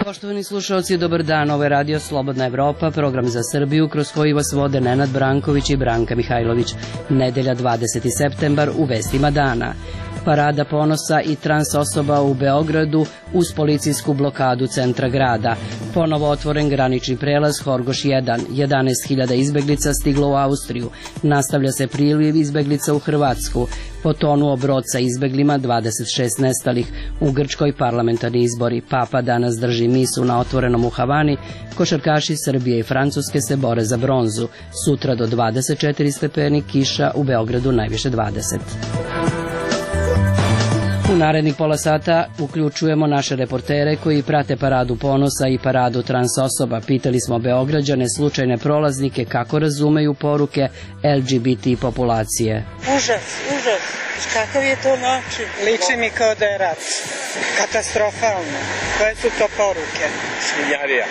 Poštovani slušalci, dobar dan, ovo je Radio Slobodna Evropa, program za Srbiju kroz koji vas vode Nenad Branković i Branka Mihajlović. Nedelja 20. septembar u vestima dana. Parada ponosa i trans osoba u Beogradu uz policijsku blokadu centra grada. Ponovo otvoren granični prelaz Horgoš 1. 11.000 izbeglica stiglo u Austriju. Nastavlja se priliv izbeglica u Hrvatsku. Potonuo brod sa izbeglima, 26 nestalih. U Grčkoj parlamentarni izbori. Papa danas drži misu na otvorenom u Havani. Košarkaši Srbije i Francuske se bore za bronzu. Sutra do 24 stepeni, kiša, u Beogradu najviše 20. U narednih pola sata uključujemo naše reportere koji prate paradu ponosa i paradu trans osoba. Pitali smo Beograđane, slučajne prolaznike, kako razumeju poruke LGBT populacije. Užas. Kakav je to način? Liči mi kao da je rat. Katastrofalno. Koje su to poruke? Svinjarija.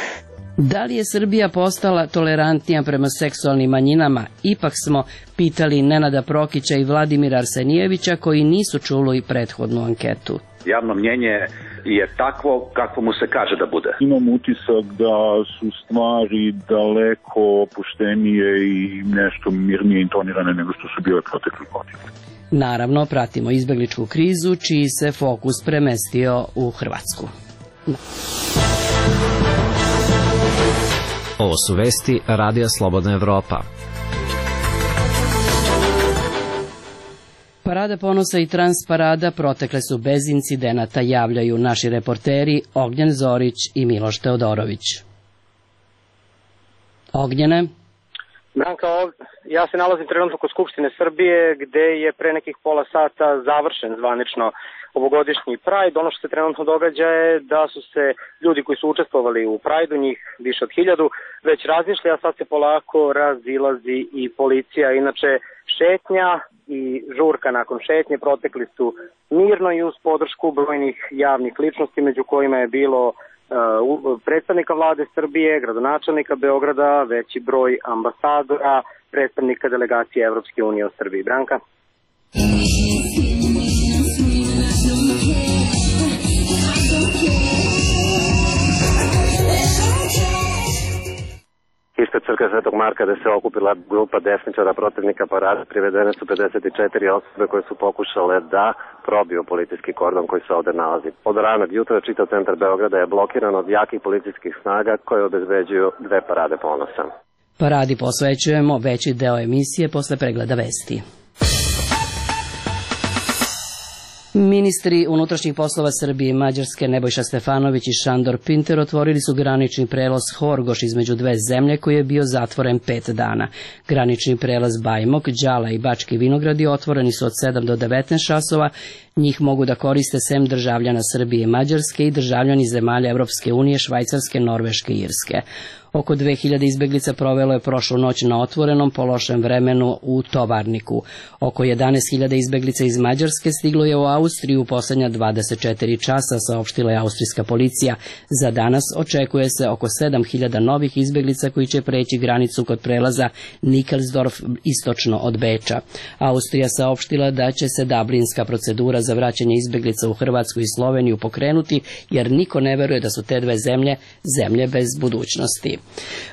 Da li je Srbija postala tolerantnija prema seksualnim manjinama? Ipak smo pitali Nenada Prokića i Vladimira Arsenijevića koji nisu čuli prethodnu anketu. Javno mnjenje je takvo kako mu se kaže da bude. Imam utisak da su stvari daleko opuštenije i nešto mirnije intonirane nego što su bile protekli godina. Naravno, pratimo izbegličku krizu čiji se fokus premestio u Hrvatsku. Ovo su vesti Radija Slobodna Evropa. Parada ponosa i transparada protekle su bez incidenata, javljaju naši reporteri Ognjen Zorić i Miloš Teodorović. Ognjene? Branka, ja se nalazim trenutno kod Skupštine Srbije gde je pre nekih pola sata završen zvanično ovogodišnji Pride. Ono što se trenutno događa je da su se ljudi koji su učestvovali u Pride-u, njih više od 1000, već razmišljali, a sad se polako razilazi i policija. Inače, šetnja i žurka nakon šetnje protekli su mirno i uz podršku brojnih javnih ličnosti, među kojima je bilo predstavnika vlade Srbije, gradonačelnika Beograda, veći broj ambasadora, predstavnika delegacije Evropske unije u Srbiji. Branka? Ispred crkve Svetog Marka gde se okupila grupa desničara protivnika parade, privedene su 54 osobe koje su pokušale da probiju policijski kordon koji se ovde nalazi. Od ranog jutra čitav centar Beograda je blokiran od jakih policijskih snaga koje obezbeđuju dve parade ponosa. Paradi posvećujemo veći deo emisije posle pregleda vesti. Ministri unutrašnjih poslova Srbije i Mađarske Nebojša Stefanović i Šandor Pinter otvorili su granični prelaz Horgoš između dve zemlje koji je bio zatvoren 5 dana. Granični prelaz Bajmok, Đala i Bački Vinogradi otvoreni su od 7 do 19 časova. Njih mogu da koriste sem državljana Srbije i Mađarske i državljani zemalja Evropske unije, Švajcarske, Norveške i Irske. Oko 2000 izbeglica provelo je prošlu noć na otvorenom po lošem vremenu u Tovarniku. Oko 11.000 izbeglica iz Mađarske stiglo je u Austriju u poslednja 24 časa, saopštila je austrijska policija. Za danas očekuje se oko 7.000 novih izbeglica koji će preći granicu kod prelaza Nikelsdorf istočno od Beča. Austrija saopštila da će se dublinska procedura za vraćanje izbeglica u Hrvatsku i Sloveniju pokrenuti, jer niko ne veruje da su te dve zemlje bez budućnosti.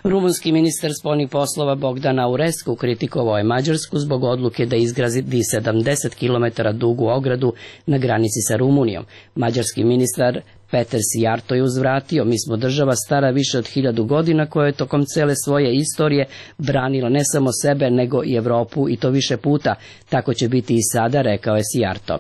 Rumunski ministar spoljnih poslova Bogdan Aurescu kritikovao je Mađarsku zbog odluke da izgradi 70 km dugu ogradu na granici sa Rumunijom. Mađarski ministar Peter Sijarto je uzvratio: mi smo država stara više od 1000 godina koja je tokom cele svoje istorije branila ne samo sebe nego i Evropu i to više puta. Tako će biti i sada, rekao je Sijarto.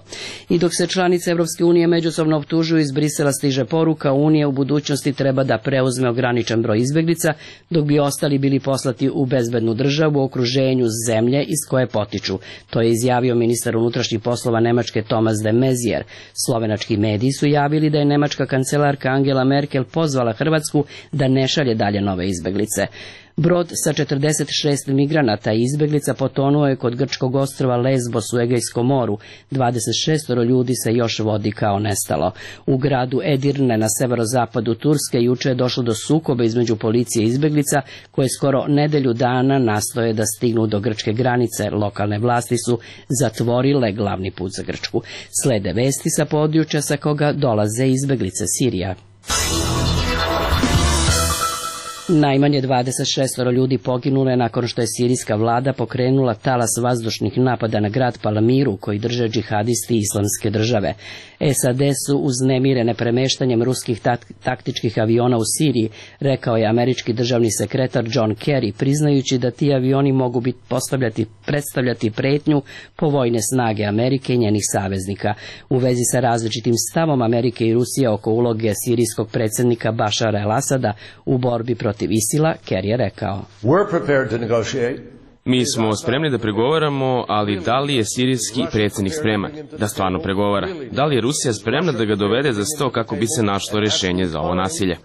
I dok se članice Evropske unije međusobno optužuju, iz Brisela stiže poruka: Unija u budućnosti treba da preuzme ograničen broj izbeglica, dok bi ostali bili poslati u bezbednu državu u okruženju zemlje iz koje potiču. To je izjavio ministar unutrašnjih poslova Nemačke Thomas de Maizière. Slovenački mediji su javili da je nemačka kancelarka Angela Merkel pozvala Hrvatsku da ne šalje dalje nove izbeglice. Brod sa 46 migranata i izbeglica potonuo je kod grčkog ostrva Lesbos u Egejskom moru. 26 ljudi se još vodi kao nestalo. U gradu Edirne na severozapadu Turske juče je došlo do sukoba između policije i izbeglica koje skoro nedelju dana nastoje da stignu do grčke granice. Lokalne vlasti su zatvorile glavni put za Grčku. Slede vesti sa područja sa koga dolaze izbeglice Sirija. Najmanje 26 ljudi poginulo je nakon što je sirijska vlada pokrenula talas vazdušnih napada na grad Palamiru koji drže džihadisti Islamske države. SAD su uznemirene premeštanjem ruskih taktičkih aviona u Siriji, rekao je američki državni sekretar John Kerry, priznajući da ti avioni mogu predstavljati pretnju po vojne snage Amerike i njenih saveznika. U vezi sa različitim stavom Amerike i Rusije oko uloge sirijskog predsjednika Bašara el-Asada u borbi protiv ISIL-a, Kerry je rekao: Mi smo spremni da pregovaramo, ali da li je sirijski predsjednik spreman da stvarno pregovara? Da li je Rusija spremna da ga dovede za sto kako bi se našlo rješenje za ovo nasilje?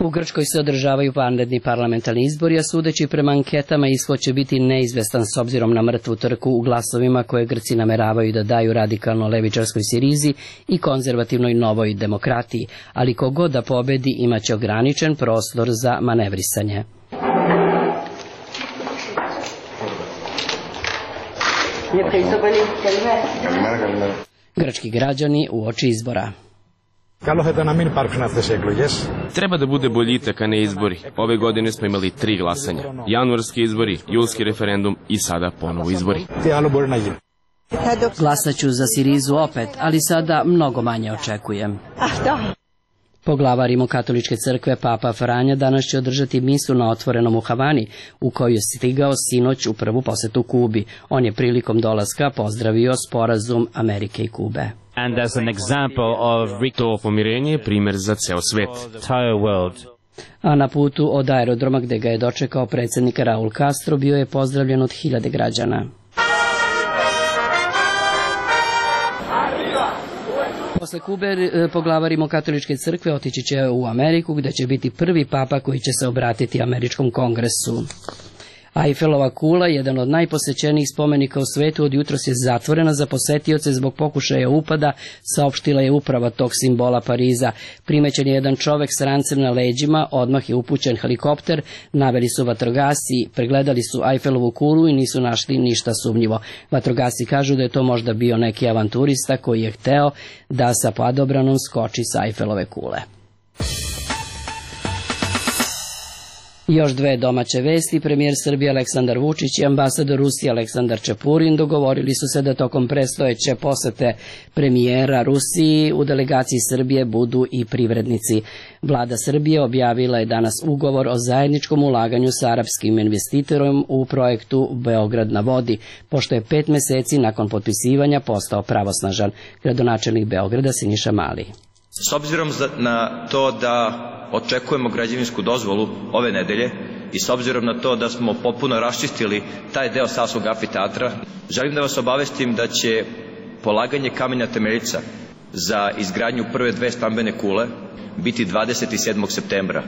U Grčkoj se održavaju vanredni parlamentarni izbori, a sudeći prema anketama ishod će biti neizvestan s obzirom na mrtvu trku u glasovima koje Grci nameravaju da daju radikalno levičarskoj Sirizi i konzervativnoj Novoj demokratiji, ali kogod da pobedi imaće ograničen prostor za manevrisanje. Grčki građani uoči izbora. Treba da bude boljitak, a ne izbori. Ove godine smo imali 3 glasanja. Januarski izbori, julski referendum i sada ponovo izbori. Glasaću za Sirizu opet, ali sada mnogo manje očekujem. Poglavar Rimokatoličke crkve Papa Franja danas će održati misu na otvorenom u Havani, u koju je stigao sinoć u prvu posetu Kubi. On je prilikom dolaska pozdravio sporazum Amerike i Kube. To pomirenje je primjer za ceo svet. A na putu od aerodroma gde ga je dočekao predsjednik Raul Castro bio je pozdravljen od 1000 građana. Posle Kube poglavar Rimokatoličke crkve otići će u Ameriku gde će biti prvi papa koji će se obratiti američkom kongresu. Eiffelova kula, jedan od najposećenijih spomenika u svetu, od jutros je zatvorena za posetioce zbog pokušaja upada, saopštila je uprava tog simbola Pariza. Primećen je jedan čovek s rancem na leđima, odmah je upućen helikopter, naveli su vatrogasci, pregledali su Eiffelovu kulu i nisu našli ništa sumnjivo. Vatrogasci kažu da je to možda bio neki avanturista koji je hteo da sa padobranom skoči sa Eiffelove kule. Još dve domaće vesti. Premijer Srbije Aleksandar Vučić i ambasador Rusije Aleksandar Čepurin dogovorili su se da tokom predstojeće posete premijera Rusiji u delegaciji Srbije budu i privrednici. Vlada Srbije objavila je danas ugovor o zajedničkom ulaganju sa arapskim investitorom u projektu Beograd na vodi, pošto je 5 meseci nakon potpisivanja postao pravosnažan. Gradonačelnik Beograda Siniša Mali. S obzirom na to da očekujemo građevinsku dozvolu ove nedelje i s obzirom na to da smo potpuno raščistili taj deo Savskog amfiteatra, želim da vas obavestim da će polaganje kamena temeljica za izgradnju prve 2 stambene kule biti 27. septembra.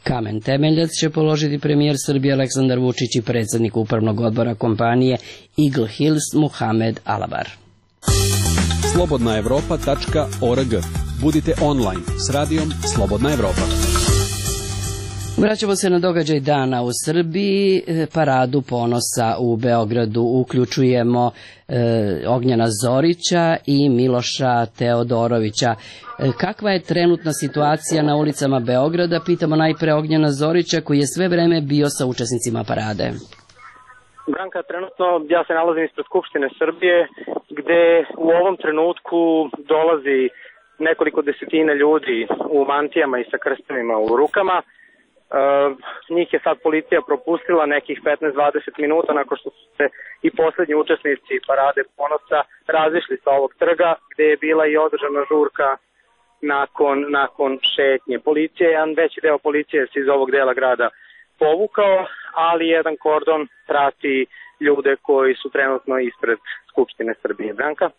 Kamen temeljac će položiti premijer Srbije Aleksandar Vučić i predsjednik upravnog odbora kompanije Eagle Hills Muhamed Alabar. Slobodnaevropa.org. Budite online s radijom Slobodna Evropa. Vraćamo se na događaj dana u Srbiji, paradu ponosa u Beogradu. Uključujemo Ognjena Zorića i Miloša Teodorovića. Kakva je trenutna situacija na ulicama Beograda? Pitamo najpre Ognjena Zorića koji je sve vreme bio sa učesnicima parade. Branka, trenutno ja se nalazim ispred Skupštine Srbije gde u ovom trenutku dolazi nekoliko desetina ljudi u mantijama i sa krstovima u rukama. Njih je sad policija propustila nekih 15-20 minuta nakon što su se i poslednji učesnici parade ponosa razišli sa ovog trga gde je bila i održana žurka nakon šetnje. Policija, jedan veći deo policije se iz ovog dela grada povukao, ali jedan kordon prati ljude koji su trenutno ispred Skupštine Srbije. Branka?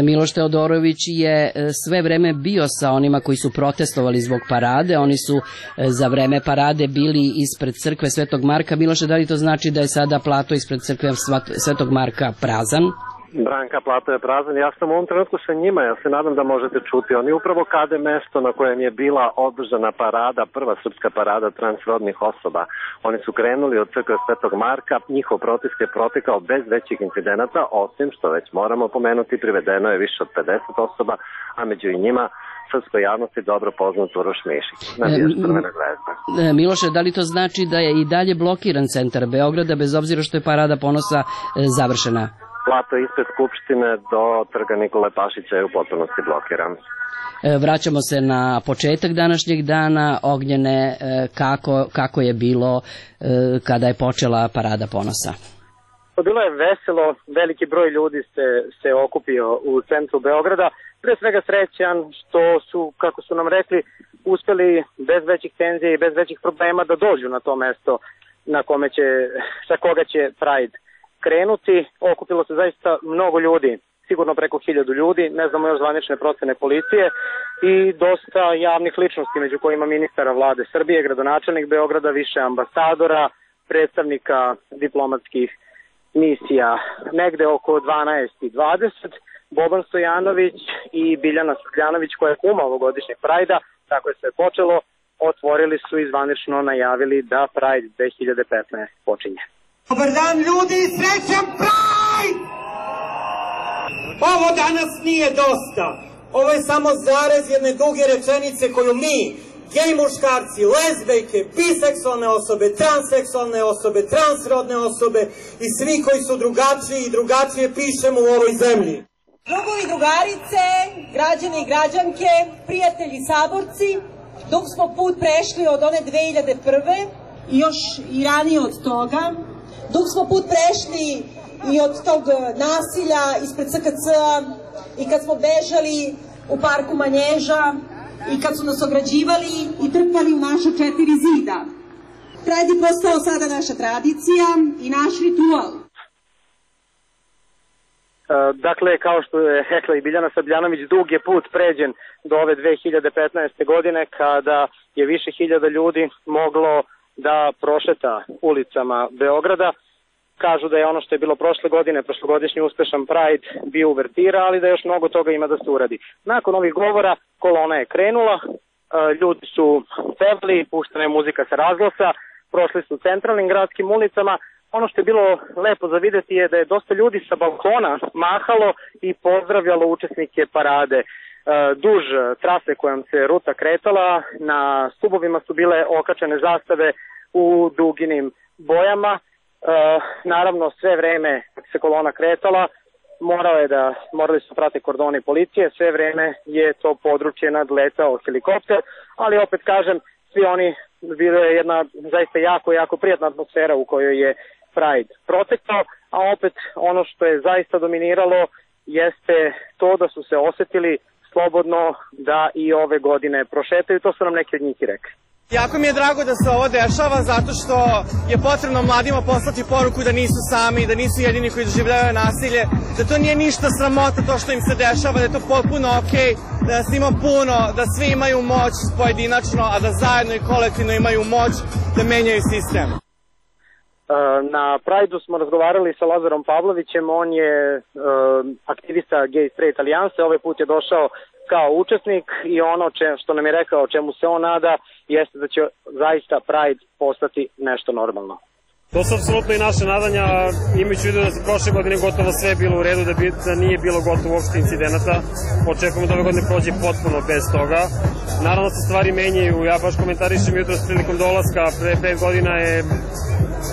Miloš Teodorović je sve vreme bio sa onima koji su protestovali zbog parade. Oni su za vreme parade bili ispred crkve Svetog Marka. Miloše, da li to znači da je sada plato ispred crkve Svetog Marka prazan? Branka, plato je prazan. Ja sam u ovom trenutku sa njima, ja se nadam da možete čuti. Oni upravo kade mesto na kojem je bila održana parada, prva srpska parada transrodnih osoba. Oni su krenuli od crkve Svetog Marka, njihov protest je protekao bez većih incidenata, osim što već moramo pomenuti, privedeno je više od 50 osoba, a među njima srpskoj javnosti dobro poznat Uroš Mišić. Miloše, da li to znači da je i dalje blokiran centar Beograda, bez obzira što je parada ponosa završena? Plato ispred Skupštine do trga Nikole Pašića je u potpunosti blokiran. Vraćamo se na početak današnjeg dana. Ognjene, kako je bilo kada je počela parada ponosa? Bilo je veselo, veliki broj ljudi se okupio u centru Beograda. Pre svega srećan što su, kako su nam rekli, uspeli bez većih tenzija i bez većih problema da dođu na to mesto na kome sa koga će Pride krenuti. Okupilo se zaista mnogo ljudi, sigurno preko 1000 ljudi, ne znamo još zvanične procene policije i dosta javnih ličnosti, među kojima ministara vlade Srbije, gradonačelnik Beograda, više ambasadora, predstavnika diplomatskih misija. Negde oko 12:20 Boban Stojanović i Biljana Srbljanović, koja je kuma ovogodišnjeg Prajda, tako je sve počelo, otvorili su i zvanično najavili da Pride 2015 počinje. Dobar dan ljudi, srećan Pride! Ovo danas nije dosta. Ovo je samo zarez jedne duge rečenice koju mi, gej muškarci, lezbejke, biseksualne osobe, transseksualne osobe, transrodne osobe i svi koji su drugačiji i drugačije pišemo u ovoj zemlji. Drugovi i drugarice, građani i građanke, prijatelji i saborci, dok smo put prešli od one 2001. i još i ranije od toga, dok smo put prešli i od tog nasilja ispred SKC-a i kad smo bežali u parku Manježa i kad su nas ograđivali i trpali u naša 4 zida. Pride je postao sada naša tradicija i naš ritual. Dakle, kao što je rekla i Biljana Srbljanović, dug je put pređen do ove 2015. godine kada je više hiljada ljudi moglo da prošeta ulicama Beograda. Kažu da je ono što je bilo prošle godine, prošlogodišnji uspešan Pride, bio uvertira, ali da još mnogo toga ima da se uradi. Nakon ovih govora kolona je krenula, ljudi su pevali, puštena je muzika sa razglasa, prošli su centralnim gradskim ulicama. Ono što je bilo lepo za videti je da je dosta ljudi sa balkona mahalo i pozdravljalo učesnike parade. Duž trase kojom se ruta kretala, na stubovima su bile okačene zastave u duginim bojama. Naravno, sve vreme se kolona kretala, morali su prate kordoni policije, sve vreme je to područje nadletao helikopter, ali opet kažem, svi oni, bilo je jedna zaista jako prijatna atmosfera u kojoj je Pride protekao, a opet ono što je zaista dominiralo jeste to da su se osetili slobodno da i ove godine prošetaju, to su nam neki od njih i rekli. Jako mi je drago da se ovo dešava zato što je potrebno mladima poslati poruku da nisu sami, da nisu jedini koji doživljavaju nasilje, da to nije ništa sramota to što im se dešava, da je to potpuno okej, da nas ima puno, da svi imaju moć pojedinačno, a da zajedno i kolektivno imaju moć da menjaju sistem. Na Pride-u smo razgovarali sa Lazarom Pavlovićem, on je aktivista Gay Straight Alijanse, ovaj put je došao kao učesnik i ono što nam je rekao čemu se on nada jeste da će zaista Pride postati nešto normalno. To su apsolutno i naše nadanja, imajući u vidu da se prošle godine gotovo sve bilo u redu, da nije bilo gotovo uopšte incidenata. Očekujemo da ove godine prođe potpuno bez toga. Naravno se stvari menjaju, ja baš komentarišem jutros prilikom dolaska, pre 5 godina je,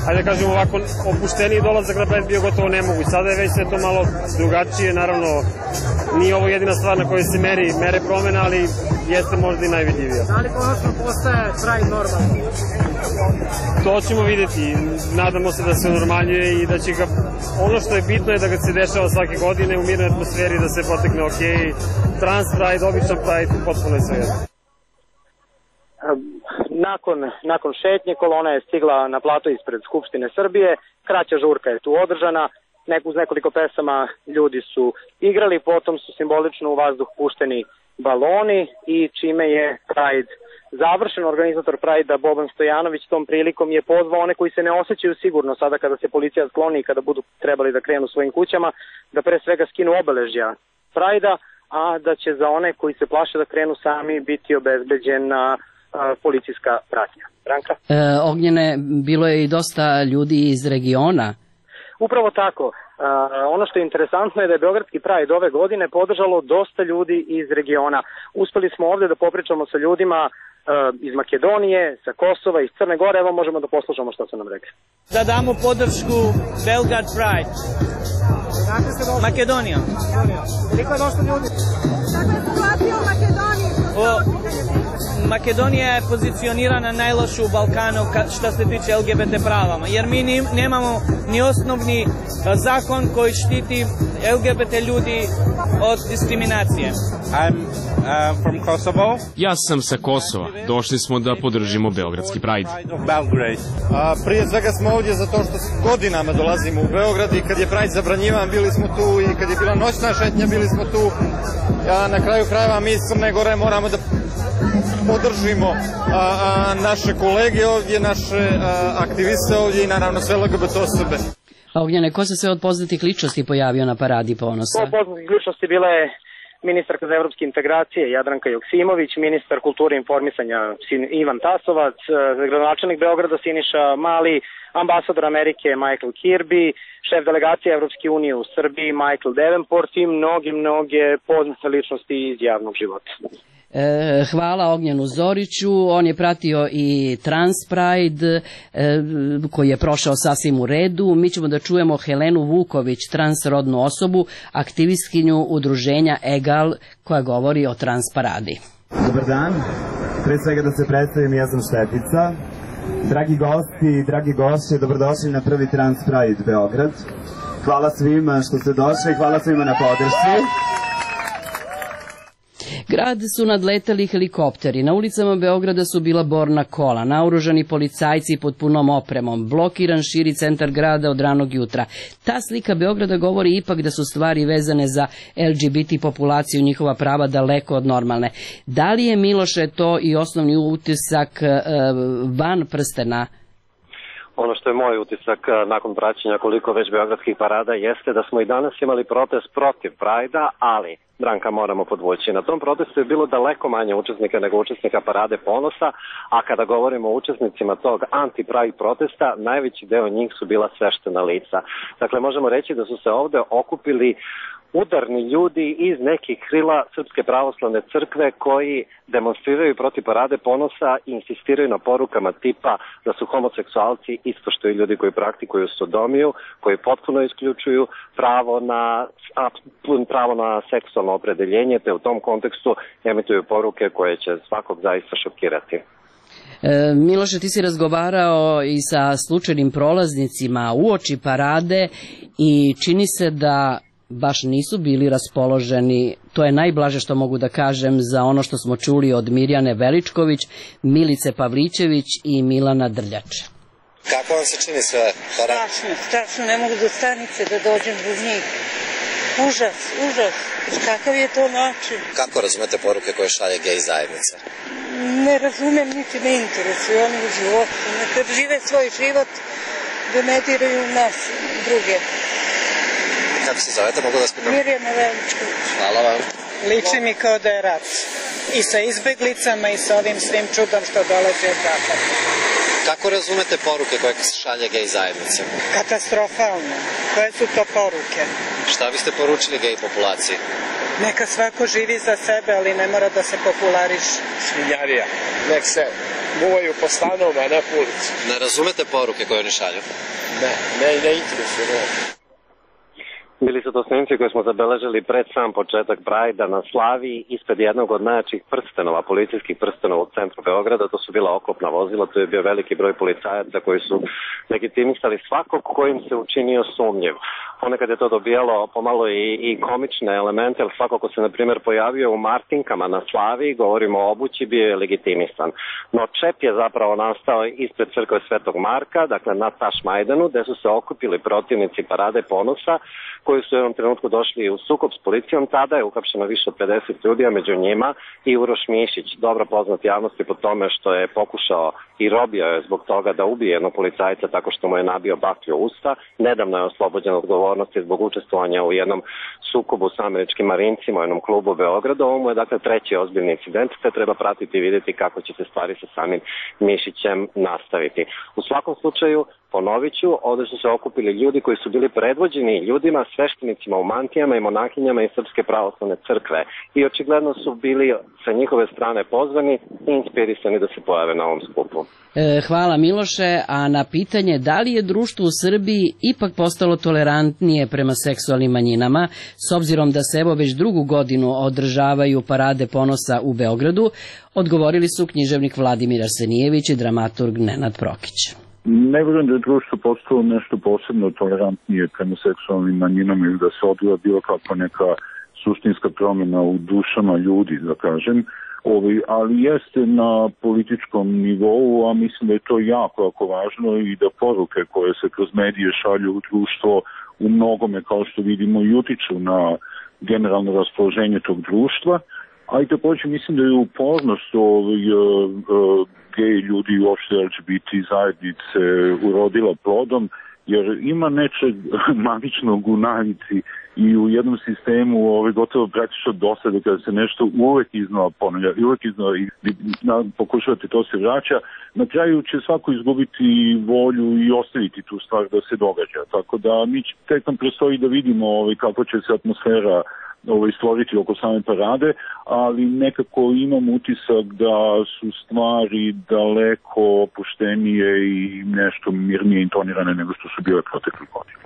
ajde da kažem ovako, opušteniji dolazak na Pride bio gotovo nemoguć. Sada je već sve to malo drugačije, naravno nije ovo jedina stvar na kojoj se mere promena, ali jeste možda i najvidljivija. Da li konačno postaje Pride normalno? To ćemo vidjeti. Nadamo se da se normalnije i da će ga, ono što je bitno je da ga se dešava svake godine u mirnoj atmosferi, da se potekne okej. Trans Pride, običan Pride, potpuno je sve jedno. Nakon šetnje kolona je stigla na plato ispred Skupštine Srbije, kraća žurka je tu održana, uz nekoliko pesama ljudi su igrali, potom su simbolično u vazduh pušteni baloni i čime je Pride završen. Organizator Pride-a Boban Stojanović tom prilikom je pozvao one koji se ne osjećaju sigurno sada kada se policija skloni i kada budu trebali da krenu svojim kućama, da pre svega skinu obeležja Pride-a, a da će za one koji se plaše da krenu sami biti obezbeđena policijska pratnja. Branka? Ognjene, bilo je i dosta ljudi iz regiona. Upravo tako. Ono što je interesantno je da je Beogradski Pride ove godine podržalo dosta ljudi iz regiona. Uspeli smo ovde da popričamo sa ljudima iz Makedonije, sa Kosova, iz Crne Gore. Evo možemo da poslušamo što su nam rekli. Da damo podršku Belgrad Pride. Makedonija. Koliko je došlo ljudi? Kakva je situacija u Makedoniji? Makedonija je pozicionirana najlošu u Balkanu što se tiče LGBT pravama, jer mi nemamo ni osnovni zakon koji štiti LGBT ljudi od diskriminacije. I'm from Kosovo. Ja sam sa Kosova. Došli smo da podržimo Beogradski Pride. Prije svega smo ovdje zato što godinama dolazimo u Beograd i kad je Pride zabranjivan bili smo tu i kad je bila noćna šetnja bili smo tu. Na kraju krajeva mi iz Crne Gore moramo da podržimo naše kolege ovdje, naše aktiviste ovdje i naravno sve LGBT osobe. Ognjene, ko se sve od poznatih ličnosti pojavio na Paradi ponosa? Od poznatih ličnosti bila je ministarka za evropske integracije Jadranka Joksimović, ministar kulture i informisanja Ivan Tasovac, gradonačelnik Beograda Siniša Mali, ambasador Amerike Michael Kirby, šef delegacije Evropske unije u Srbiji Michael Davenport i mnoge poznate ličnosti iz javnog života. Hvala Ognjenu Zoriću, on je pratio i Trans Pride koji je prošao sasvim u redu. Mi ćemo da čujemo Helenu Vuković, transrodnu osobu, aktivistkinju udruženja EGAL koja govori o Trans Paradi. Dobar dan, pre svega da se predstavim, ja sam Štefica. Dragi gosti i dragi gošće, dobrodošli na prvi Trans Pride Beograd. Hvala svima što ste došli, hvala svima na podršci. Grad su nadletali helikopteri, na ulicama Beograda su bila borna kola, naoružani policajci pod punom opremom, blokiran širi centar grada od ranog jutra. Ta slika Beograda govori ipak da su stvari vezane za LGBT populaciju, njihova prava daleko od normalne. Da li je, Miloše, to i osnovni utisak van prstena? Ono što je moj utisak nakon praćenja koliko već beogradskih parada jeste da smo i danas imali protest protiv Prajda, ali, Branka, moramo podvući. Na tom protestu je bilo daleko manje učesnika nego učesnika Parade ponosa, a kada govorimo o učesnicima tog anti-Pride protesta, najveći deo njih su bila sveštena lica. Dakle, možemo reći da su se ovde okupili udarni ljudi iz nekih krila Srpske pravoslavne crkve koji demonstriraju protiv Parade ponosa i insistiraju na porukama tipa da su homoseksualci isto što i ljudi koji praktikuju sodomiju, koji potpuno isključuju pravo na seksualno opredeljenje, te u tom kontekstu emituju poruke koje će svakog zaista šokirati. Miloše, ti si razgovarao i sa slučajnim prolaznicima uoči parade i čini se da baš nisu bili raspoloženi, to je najblaže što mogu da kažem, za ono što smo čuli od Mirjane Veličković, Milice Pavlićević i Milana Drljač. Kako vam se čini sve? Strašno, ne mogu do stanice da dođem do njih. Užas. Kakav je to način? Kako razumete poruke koje šalje gej zajednica? Ne razumem, niti me interesuje, oni u životu. Neka žive svoj život, da ne diraju nas druge. Kako se zovete, mogu da spitam? Mirjana Veličković. Hvala vam. Liči mi kao da je rat. I sa izbeglicama i sa ovim svim čudom što dolazi od zapada. Kako razumete poruke koje se šalje gej zajednici? Katastrofalno. Koje su to poruke? Šta biste poručili gej populaciji? Neka svako živi za sebe, ali ne mora da se populariše. Svinjarija. Nek se muvaju po stanovima, ne po ulici. Ne razumete poruke koje oni šalju? Ne interesuje. Bili su to snimci koje smo zabeležili pred sam početak Prajda na Slaviji ispred jednog od najjačih prstenova, policijskih prstenova u centru Beograda. To su bila oklopna vozila, tu je bio veliki broj policajaca koji su legitimisali svakog kojim se učinio sumnjiv. ponekad je to dobijalo pomalo i komične elemente, jer svako ko se, na primjer, pojavio u martinkama na Slaviji, govorimo o obući, bio je legitimisan. No čep je zapravo nastao ispred crkve Svetog Marka, dakle na Tašmajdanu, gde su se okupili protivnici Parade ponosa, koji su u jednom trenutku došli u sukob s policijom. Tada je uhapšeno više od 50 ljudi, a među njima i Uroš Mišić, dobro poznat javnosti po tome što je pokušao i robio je zbog toga da ubije jednog policajca tako što mu je nabio baklju u usta. Nedavno je oslobođen odgovornosti zbog učestvovanja u jednom sukobu s američkim marincima u jednom klubu u Beogradu. Ovo mu je dakle treći ozbiljni incident, te treba pratiti i vidjeti kako će se stvari sa samim Mišićem nastaviti. U svakom slučaju, ponovit ću, ovdje su se okupili ljudi koji su bili predvođeni ljudima, sveštenicima u mantijama i monahinjama iz Srpske pravoslavne crkve i očigledno su bili sa njihove strane pozvani i inspirisani da se pojave na ovom skupu. Hvala Miloše, a na pitanje da li je društvo u Srbiji ipak postalo tolerantnije prema seksualnim manjinama, s obzirom da se evo već drugu godinu održavaju Parade ponosa u Beogradu, odgovorili su književnik Vladimir Arsenijević i dramaturg Nenad Prokić. Ne vjerujem da je društvo postalo nešto posebno tolerantnije prema seksualnim manjinama ili da se odvija bilo kakva neka suštinska promjena u dušama ljudi, da kažem, ali jeste na političkom nivou, a mislim da je to jako važno i da poruke koje se kroz medije šalju u društvo u mnogome, kao što vidimo, i utiču na generalno raspoloženje tog društva, a i također mislim da je upornost gej ljudi i uopšte LGBT zajednice urodila plodom, jer ima nečeg magičnog u navici i u jednom sistemu gotovo praktično dosade kada se nešto uvek iznova ponavlja i uvek iznova i pokušavate to se vraća, na kraju će svako izgubiti volju i ostaviti tu stvar da se događa. Tako da mi tek nam prestoji da vidimo kako će se atmosfera stvoriti oko same parade, ali nekako imam utisak da su stvari daleko opuštenije i nešto mirnije intonirane nego što su bile protekle godine.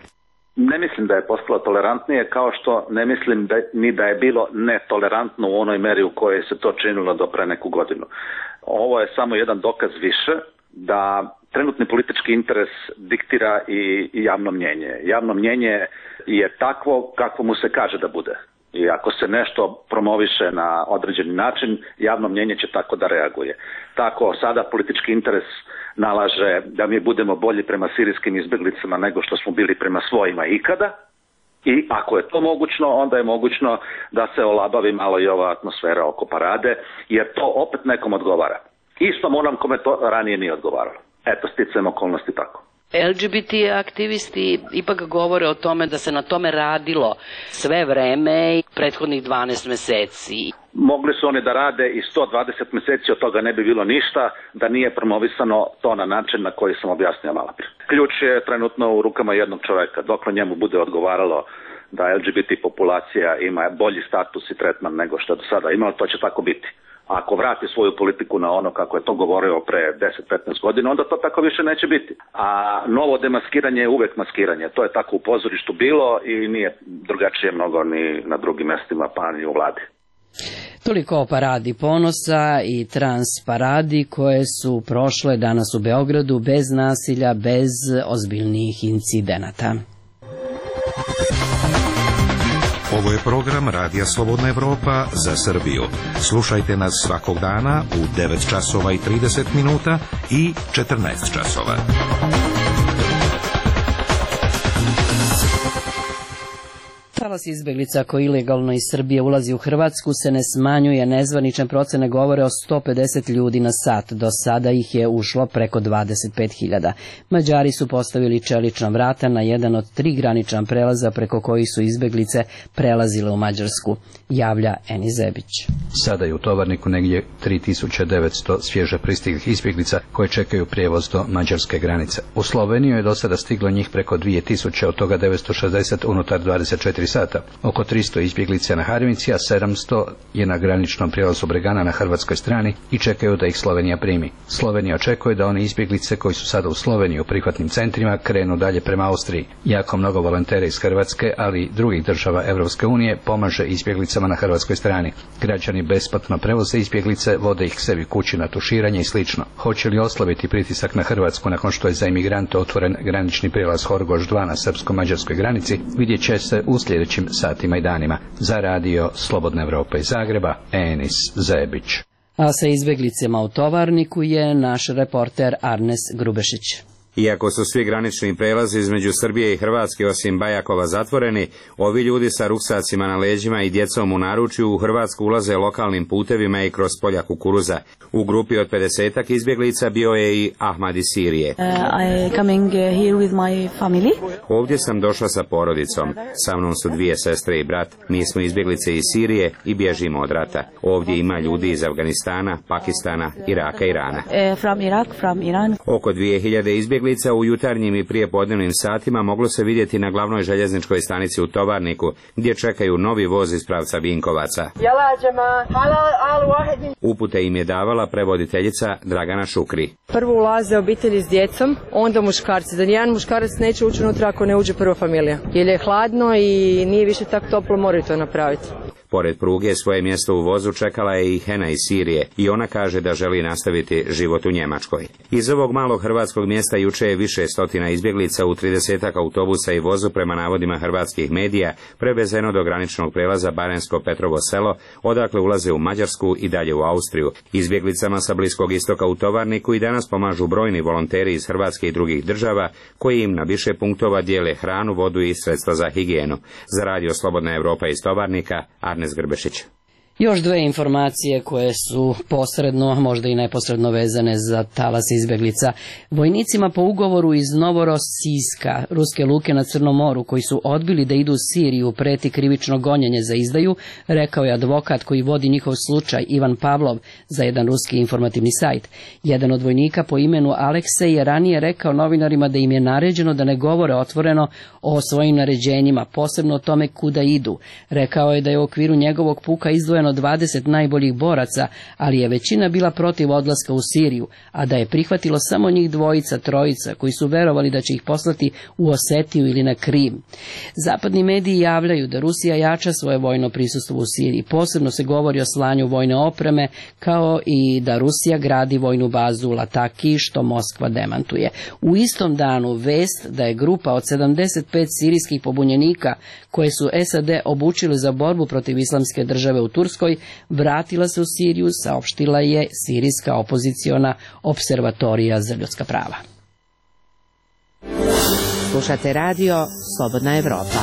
Ne mislim da je postalo tolerantnije, kao što ne mislim ni da je bilo netolerantno u onoj meri u kojoj se to činilo do pre neku godinu. Ovo je samo jedan dokaz više da trenutni politički interes diktira i javno mnjenje. Javno mnjenje je takvo kako mu se kaže da bude. I ako se nešto promoviše na određeni način, javno mnjenje će tako da reaguje. Tako sada politički interes nalaže da mi budemo bolji prema sirijskim izbjeglicama nego što smo bili prema svojima ikada. I ako je to mogućno, onda je mogućno da se olabavi malo i ova atmosfera oko parade, jer to opet nekom odgovara. Istom onom kome to ranije nije odgovaralo. Eto, sticajem okolnosti tako. LGBT aktivisti ipak govore o tome da se na tome radilo sve vreme i prethodnih 12 meseci. Mogli su oni da rade i 120 meseci, od toga ne bi bilo ništa da nije promovisano to na način na koji sam objasnio malo prije. Ključ je trenutno u rukama jednog čoveka. Dokle njemu bude odgovaralo da LGBT populacija ima bolji status i tretman nego što je do sada imalo, to će tako biti. Ako vrati svoju politiku na ono kako je to govorio pre 10-15 godina, onda to tako više neće biti. A novo demaskiranje je uvek maskiranje. To je tako u pozorištu bilo i nije drugačije mnogo ni na drugim mestima, pa ni u vladi. Toliko o paradi ponosa i trans paradi koje su prošle danas u Beogradu bez nasilja, bez ozbiljnijih incidenata. Ovo je program Radija Slobodna Evropa za Srbiju. Slušajte nas svakog dana u 9 časova i 30 minuta i 14 časova. Talas izbeglica koji ilegalno iz Srbije ulazi u Hrvatsku se ne smanjuje, nezvanične procene govore o 150 ljudi na sat, do sada ih je ušlo preko 25.000. Mađari su postavili čelična vrata na jedan od 3 granična prelaza preko kojih su izbeglice prelazile u Mađarsku, javlja Eni Zebić. Sada je u Tovarniku negdje 3900 svježe pristiglih izbjeglica koje čekaju prijevoz do mađarske granice. U Sloveniju je do sada stiglo njih preko 2000, od toga 960 unutar 24 sata, sata. Oko 300 izbjeglica na Harmici, a 700 je na graničnom prijelazu Bregana na hrvatskoj strani i čekaju da ih Slovenija primi. Slovenija očekuje da one izbjeglice koji su sada u Sloveniji u prihvatnim centrima krenu dalje prema Austriji. Jako mnogo volontera iz Hrvatske, ali i drugih država Europske unije pomaže izbjeglicama na hrvatskoj strani. Građani besplatno prevoze izbjeglice, vode ih sebi kući na tuširanje i slično. Hoće li oslabiti pritisak na Hrvatsku nakon što je za imigrante otvoren granični prijelaz Horgoš 2 na srpsko-mađarskoj granici, vidjet će se u sljedećim satima i danima. Za radio Slobodna Evropa iz Zagreba, Enis Zebić. A sa izbjeglicama u Tovarniku je naš reporter Arnes Grubešić. Iako su svi granični prelazi između Srbije i Hrvatske osim Bajakova zatvoreni, ovi ljudi sa ruksacima na leđima i djecom u naručju u Hrvatsku ulaze lokalnim putevima i kroz polja kukuruza. U grupi od 50-ak izbjeglica bio je i Ahmad iz Sirije. Ovdje sam došla sa porodicom. Sa mnom su 2 sestre i brat. Mi smo izbjeglice iz Sirije i bježimo od rata. Ovdje ima ljudi iz Afganistana, Pakistana, Iraka i Irana. Oko 2000 izbjeglica u jutarnjim i prijepodnevnim satima moglo se vidjeti na glavnoj željezničkoj stanici u Tovarniku, gdje čekaju novi voz iz pravca Vinkovaca. Upute im je davala prevoditeljica Dragana Šukri. Prvo ulaze obitelji s djecom, onda muškarci. Da nijedan muškarac neće ući unutra ako ne uđe prva familija. Jer je hladno i nije više tako toplo, moraju to napraviti. Pored pruge svoje mjesto u vozu čekala je i Hena iz Sirije i ona kaže da želi nastaviti život u Njemačkoj. Iz ovog malog hrvatskog mjesta juče je više stotina izbjeglica u 30-ak autobusa i vozu prema navodima hrvatskih medija prevezeno do graničnog prelaza Barensko Petrovo selo, odakle ulaze u Mađarsku i dalje u Austriju. Izbjeglicama sa Bliskog istoka u Tovarniku i danas pomažu brojni volonteri iz Hrvatske i drugih država koji im na više punktova dijele hranu, vodu i sredstva za higijenu. Za radio Slobodna Evropa iz Tovarnika, Arnes Grbešić. Još 2 informacije koje su posredno, možda i neposredno vezane za talas izbjeglica. Vojnicima po ugovoru iz Novorossijska, ruske luke na Crnom moru, koji su odbili da idu u Siriju, preti krivično gonjenje za izdaju, rekao je advokat koji vodi njihov slučaj, Ivan Pavlov, za jedan ruski informativni sajt. Jedan od vojnika po imenu Aleksej je ranije rekao novinarima da im je naređeno da ne govore otvoreno o svojim naređenjima, posebno o tome kuda idu. Rekao je da je u okviru njegovog puka izdvojeno 20 najboljih boraca, ali je većina bila protiv odlaska u Siriju, a da je prihvatilo samo njih 2-3 koji su verovali da će ih poslati u Osetiju ili na Krim. Zapadni mediji javljaju da Rusija jača svoje vojno prisustvo u Siriji. Posebno se govori o slanju vojne opreme, kao i da Rusija gradi vojnu bazu u Lataki, što Moskva demantuje. U istom danu vest da je grupa od 75 sirijskih pobunjenika koje su SAD obučili za borbu protiv islamske države u Turskoj vratila se u Siriju, saopštila je sirijska opoziciona observatorija za ljudska prava. Slušate radio Slobodna Evropa.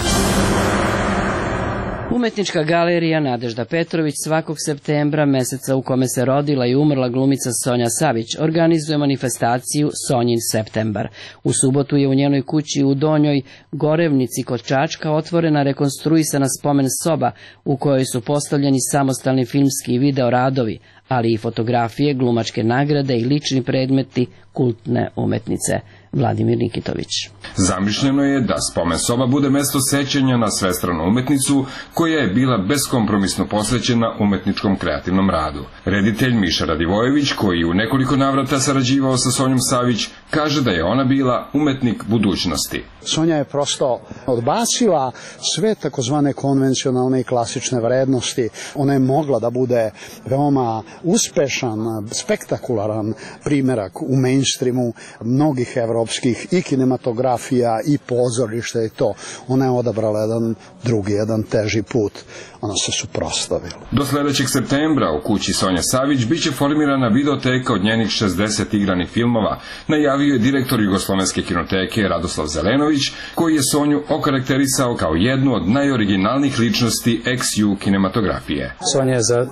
Umetnička galerija Nadežda Petrović svakog septembra, meseca u kome se rodila i umrla glumica Sonja Savić, organizuje manifestaciju Sonjin septembar. U subotu je u njenoj kući u Donjoj Gorevnici kod Čačka otvorena rekonstruisana spomen soba u kojoj su postavljeni samostalni filmski i video radovi, ali i fotografije, glumačke nagrade i lični predmeti kultne umetnice. Vladimir Nikitović. Zamišljeno je da spomen soba bude mesto sećanja na svestranu umetnicu koja je bila beskompromisno posvećena umetničkom kreativnom radu. Reditelj Miša Radivojević, koji u nekoliko navrata sarađivao sa Sonjom Savić, kaže da je ona bila umetnik budućnosti. Sonja je prosto odbacila sve takozvane konvencionalne i klasične vrednosti. Ona je mogla da bude veoma uspešan, spektakularan primjerak u mainstreamu mnogih evropskih i kinematografija i pozorišta i to. Ona je odabrala jedan drugi, jedan teži put. Ona se suprotstavila. Do sledećeg septembra u kući Sonja Savić biće formirana videoteka od njenih 60 igranih filmova, najavio je direktor Jugoslovenske kinoteke Radoslav Zelenović, koji je Sonju okarakterisao kao jednu od najoriginalnijih ličnosti ex-ju kinematografije. Sonja je za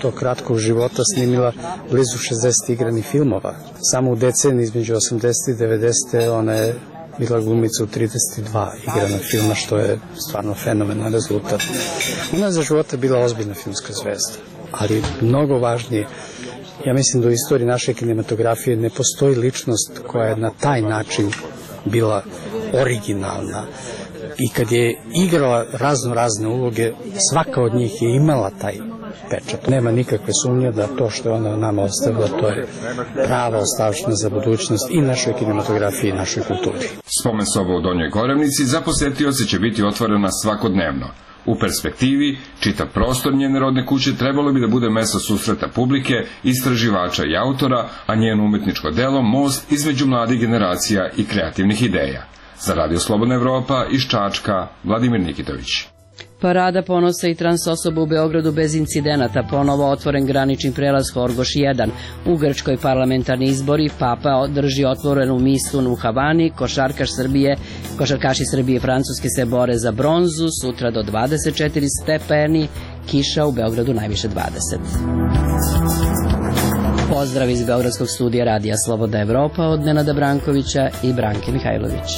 tog kratkog života snimila blizu 60 igranih filmova. Samo u deceniji između 80. i 90. ona je bila glumica u 32 igrana filma, što je stvarno fenomenalan rezultat. Ona je za života bila ozbiljna filmska zvezda, ali mnogo važnije, ja mislim da u istoriji naše kinematografije ne postoji ličnost koja je na taj način bila originalna, i kad je igrala razne uloge, svaka od njih je imala taj pečat. Nema nikakve sumnje da to što je ona nama ostavila, to je prava ostavština za budućnost i našoj kinematografiji i našoj kulturi. Spomen soba u Donjoj Gorevnici za posetioce će biti otvorena svakodnevno. U perspektivi, čitav prostor njene rodne kuće trebalo bi da bude mesto susreta publike, istraživača i autora, a njeno umetničko delo most između mladih generacija i kreativnih ideja. Za Radio Slobodna Evropa iz Čačka, Vladimir Nikitović. Parada ponosa i trans osoba u Beogradu bez incidenata, ponovo otvoren granični prelaz Horgoš 1. U Grčkoj parlamentarni izbori, Papa drži otvorenu mistu u Havani, košarkaši Srbije i Francuske se bore za bronzu, sutra do 24 stepeni, kiša u Beogradu najviše 20. Pozdrav iz Beogradskog studija Radija Slobodna Evropa od Nenada Brankovića i Branke Mihajlović.